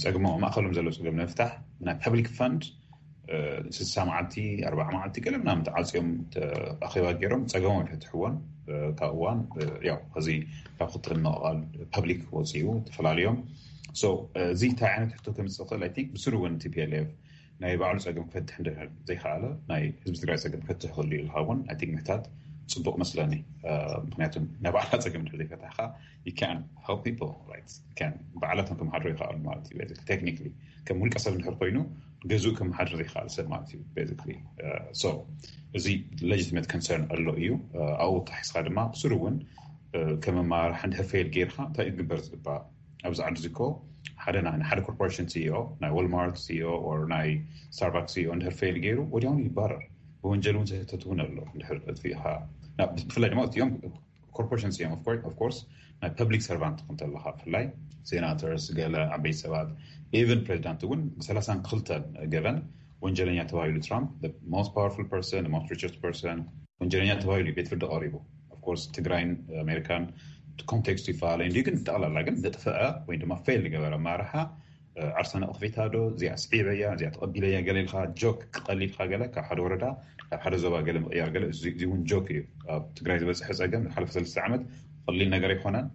ፀግሞ ማእከሎም ዘሎ ፀገም ንምፍታሕ ናይ public fund ስሳ መዓልቲ ኣርባዓ መዓልቲ ገለ ምናምን ተዓፅዮም ኣኼባ ገይሮም ፀገሞም ይፈትሕዎን ካብ እዋን ያው ከዚ ካብ ክትር ምቕቓል public ወፂኡ ተፈላልዮም እዚ እንታይ ዓይነት ሕቶ ከምፅእ ይኽእል I think ብስሩ እውን T P L F ናይ ባዕሉ ፀገም ክፈትሕ እንድሕር ዘይከኣለ ናይ ህዝቢ ትግራይ ፀገም ክፈትሕ ይኽእል ኢልካ እውን I think ምሕታት ጽቡቕ መስለኒ። ምክንያቱ ናይ ባዕላ ጸገም እንድሕር ዘይፈታሕካ you can help people, right? Can ባዕላቶም ከመሓድሩ ይኽኣሉ ማለት እዩ። Technically ከም ውልቀ ሰብ እንድሕር ኮይኑ ገዝኡ ከመሓድር ይኽኣል ሰብ ማለት እዩ። Basically so እዚ legitimate concern ኣሎ እዩ። ኣብኡ ተሒስካ ድማ ብስሩ እውን ከም ኣመራርሓ እንድሕር fail ጌርካ እንታይ እዩ ክግበር ዝግባእ? ኣብዚ ዓዲ እዚ እኮ ሓደ ናይ ሓደ corporation CEO፣ ናይ Walmart CEO or ናይ Starbucks CEO እንድሕር fail ገይሩ ወዲያውኑ ይባረር። ብወንጀል እውን ዝሕተት እውን ኣሎ። እንድሕር ኣጥፊእካ ብፍላይ ድማ እቲኦም corporation እዮም። Of course ናይ public servant ትኹን ተለካ ብፍላይ senators፣ ገለ ዓበይቲ ሰባት፣ even ፕሬዚዳንት እውን ብሰላሳን ክልተን ገበን ወንጀለኛ ተባሂሉ ትራምፕ፣ most powerful person፣ most richest person፣ ወንጀለኛ ተባሂሉ ቤት ፍርዲ ቀሪቡ። Of course ትግራይን ኣሜሪካን context ይፈላለ እንዲ ግን ጠቕላላ ግን ዘጥፈአ ወይ ድማ fail ዝገበረ ኣመራርሓ ዓርሰ ነቕፌታ ዶ እዚኣ ስዒበያ እዚኣ ተቐቢለያ ገለ ኢልካ joke ክቐሊልካ ገለ ካብ ሓደ ወረዳ ናብ ሓደ ዞባ ገለ ምቕያር ገለ እዚ እውን joke እዩ። ኣብ ትግራይ ዝበፅሐ ፀገም ዝሓለፈ ሰለስተ ዓመት ቀሊል ነገር ኣይኮነን።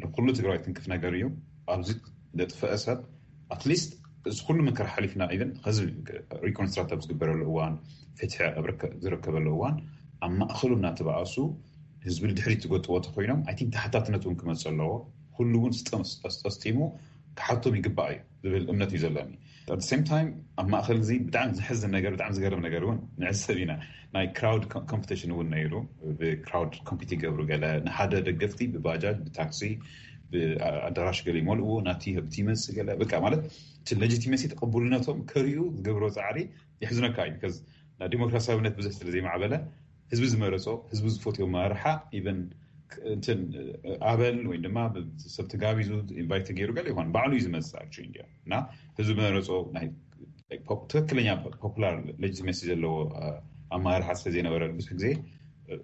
ንኩሉ ትግራይ ትንክፍ ነገር እዩ። ኣብዚ ዘጥፈአ ሰብ at least እዚ ኩሉ መከራ ሓሊፍና ኢለን ከዚ reconstruct ኣብ ዝግበረሉ እዋን ፍትሒ ዝረከበሉ እዋን ኣብ ማእኸሉ እናተባኣሱ ህዝቢ ንድሕሪት ትጎጥዎ ተኮይኖም I think ተሓታትነት እውን ክመፅ ኣለዎ። ኩሉ እውን ስጠስጢሙ ክሓቶም ይግባእ እዩ ዝብል እምነት እዩ ዘለኒ። At the same time ኣብ ማእኸል እዚ ብጣዕሚ ዝሕዝን ነገር ብጣዕሚ ዝገርም ነገር እውን ንዕዘብ ኢና። ናይ crowd competition እውን ነይሩ። ብ crowd compete ይገብሩ ገለ ንሓደ ደገፍቲ ብባጃጅ ብታክሲ ብኣዳራሽ ገለ ይመልእዎ ናቲ ህብቲ ይመፅእ ገለ በቃ ማለት እቲ legitimacy ተቐቡልነቶም ከርእዩ ዝገብሮ ፃዕሪ የሕዝነካ እዩ። ዲሞክራሲያዊነት ብዙሕ ስለ ዘይማዕበለ ህዝቢ ዝመረፆ ህዝቢ ዝፈትዮ መራርሓ even እንትን ኣበል ወይ ድማ ሰብ ተጋቢዙ invite ገይሩ ገለ ይኾን ባዕሉ እዩ ዝመፅእ actually እንዲያ እና ህዝቢ ዝመረፆ ትክክለኛ popular legitimacy ዘለዎ ኣመራርሓ ስለ ዘይነበረ ብዙሕ ግዜ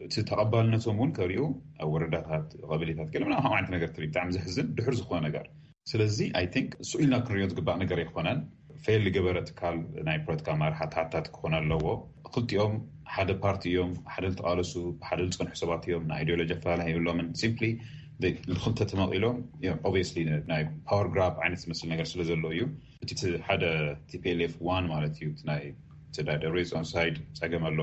እቲ ተቐባልነቶም እውን ከርእዩ ኣብ ወረዳታት ቀበሌታት ገለ ምናምን ዓይነት ነገር ትርኢ ብጣዕሚ ዘሕዝን ድሕር ዝኾነ ነገር። ስለዚ I think ስኡ ኢልና ክንሪኦ ዝግባእ ነገር ኣይኮነን። fail ዝገበረ ትካል ናይ ፖለቲካ ኣመራርሓ ተሓታቲ ክኾን ኣለዎ። ክልቲኦም ሓደ ፓርቲ እዮም፣ ሓደ ዝተቓለሱ ብሓደ ዝፀንሑ ሰባት እዮም። ናይ ideology ኣፈላላይ የብሎምን። Simply ንክልተ ተመቒሎም obviously ናይ power grab ዓይነት ዝመስል ነገር ስለ ዘሎ እዩ። እቲ ሓደ TPLF one ማለት እዩ ናይ ደብረፅዮን side ፀገም ኣሎ።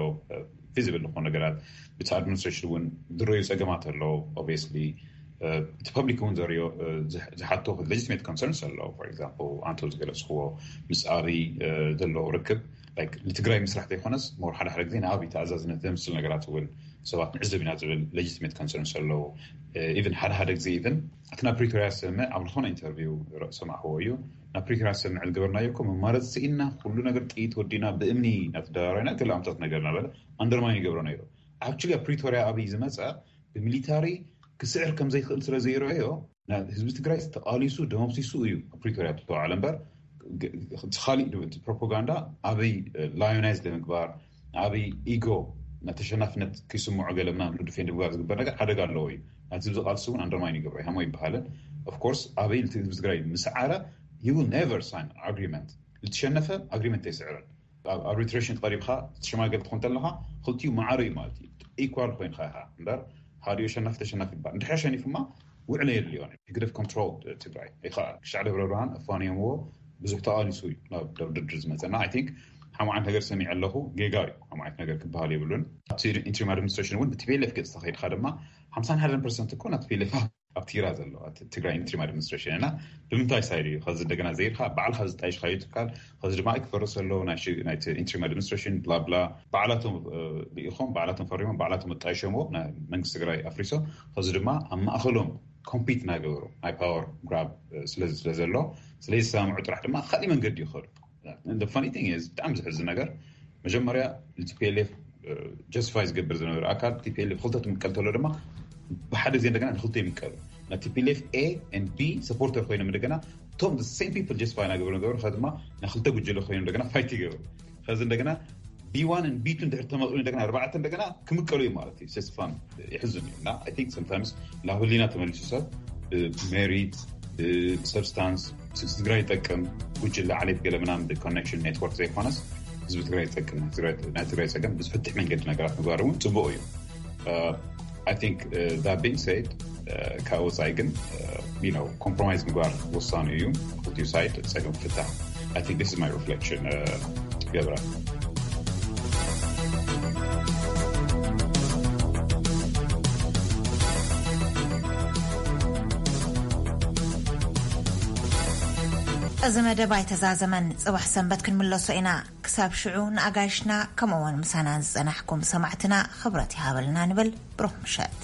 Feasible ዝኾኑ ነገራት ብቲ administration እውን ዝረዩ ፀገማት ኣሎ። Obviously እቲ public እውን ዘርዮ ዝሓቶ legitimate concerns ኣሎ። For example ኣንቶ ዝገለፅክዎ ምስ ኣብይ ዘለዎ ርክብ ንትግራይ ምስራሕ ዘይኮነስ more ሓደ ሓደ ግዜ ንኣብይ ተኣዛዝነት ዘምስል ነገራት እውን ሰባት ንዕዘብ ኢና ዝብል legitimate concerns ኣለዉ። Even ሓደ ሓደ ግዜ even እቲ ናብ ፕሪቶርያ ዝሰምዕ ኣብ ዝኾነ interview ሰማዕክዎ እዩ። ናብ ፕሪቶርያ ዝሰምዕ ዝገበርናዮ እኮ መማረፂ ስኢንና ኩሉ ነገር ጥይት ወዲና ብእምኒ እናተደራረብና ገለ ኣምታት ነገር እናበለ undermine ይገብሮ ነይሩ። Actually ኣብ ፕሪቶርያ ኣብይ ዝመፀ ብሚሊታሪ ክስዕር ከም ዘይክእል ስለ ዘይረኣዮ ህዝቢ ትግራይ ተቓሊሱ ደመብሲሱ እዩ ኣብ ፕሪቶርያ ዝተባዕለ እምበር እቲ ካሊእ ፕሮፓጋንዳ ኣብይ lionize ንምግባር ኣብይ ego ተሸናፍነት ክስምዖ ገለ ምናምን defend ምግባር ዝግበር ነገር ሓደጋ ኣለዎ እዩ። ናቲ ህዝቢ ቃልሲ እውን undermine ይገብሮ ሃሞ ይበሃልን። Of course ኣብይ ህዝቢ ትግራይ ምስዓረ he will never sign agreement ዝተሸነፈ agreement ኣይስዕርን። ኣብ arbitration ቀሪብካ ትሸማገል ትኾን ተለካ ክልቲኡ ማዕረ እዩ ማለት እዩ። Equal ኮይንካ ኢኻ እምበር ሓዲኡ ሸናፊ ተሸናፊ ይባል እንድሕር ሸኒፉማ ውዕለ የድልዮን ህግደፍ control ትግራይ ይኸኣል ክሻዕ ደብረ ብርሃን ኣፋንዮምዎ ብዙሕ ተቓሊሱ እዩ ናብ ድርድር ዝመፀና። I think ሓማዓት ነገር ሰሚዕ ኣለኹ። ጌጋ እዩ። ሓማዓት ነገር ክበሃል የብሉን። ኣብቲ interim administration እውን ብቲቤለፍ ገፅ ተኸይድካ ድማ ሓምሳን ሓደን ፐርሰንት እኮ ናብ ቲቤለፍ ኣብ ትግራ ዘሎ ትግራይ interim administration እና ብምንታይ ሳይድ እዩ ከዚ እንደገና ዘይርካ ባዕልካ ዝጣይሽካዩ ትካል ከዚ ድማ ክፈርስ ኣለዎ ናይቲ interim administration ብላ ብላ ባዕላቶም ልኢኾም ባዕላቶም ፈሪሞም ባዕላቶም ኣጣይሸምዎ መንግስቲ ትግራይ ኣፍሪሶም ከዚ ድማ ኣብ ማእኸሎም ኮምፒት እናገበሩ ናይ power grab ስለ ዘሎ ስለዝሰማምዑ ጥራሕ ድማ ካሊእ መንገዲ ይኸዱ። Funny thing is ብጣዕሚ ዝሕዝን ነገር መጀመርያ ቲፒኤልኤፍ justify ዝገብር ዝነበረ ኣካል ቲፒኤልኤፍ ክልተ ትምቀል ተሎ ድማ ብሓደ ግዜ እንደገና ንክልተ ይምቀሉ። ና ቲፒኤልኤፍ A and B supporter ኮይኖም እንደገና እቶም same people justify ናገበሩ ነበሩ ከ ድማ ንክልተ ጉጅለ ኮይኖም እንደገና fight ይገብሩ። ከዚ እንደገና B one and B two እንድሕር ተመቒሉ እንደገና ኣርባዕተ እንደገና ክምቀሉ እዩ ማለት እዩ። It's fun። የሕዝን እዩ እና I think sometimes ናብ ህሊና ተመሊሱ ሰብ ብሜሪት ብሰብስታንስ ስድራ ይጠቅም ጉጅለ ዓሌት ገለ ምናምን ብኮኔክሽን ኔትወርክ ዘይኮነስ ህዝቢ ትግራይ ይጠቅም ናይ ትግራይ ፀገም ብዝፍትሕ መንገዲ ነገራት ምግባር እውን ፅቡቅ እዩ። I think that being said ካብ ወፃኢ ግን ኮምፕሮማይዝ ምግባር ወሳኑ እዩ። ክልቲኡ ሳይድ ፀገም ክፍታሕ I think this is my reflection ገብረ። እዚ መደብ ኣይተዛዘመን። ጽባሕ ሰንበት ክንምለሶ ኢና። ክሳብ ሽዑ ንኣጋይሽና፣ ከምኡውን ምሳና ዝጸናሕኩም ሰማዕትና ክብረት ይሃበልና ንብል። ብሩኽ ምሸት።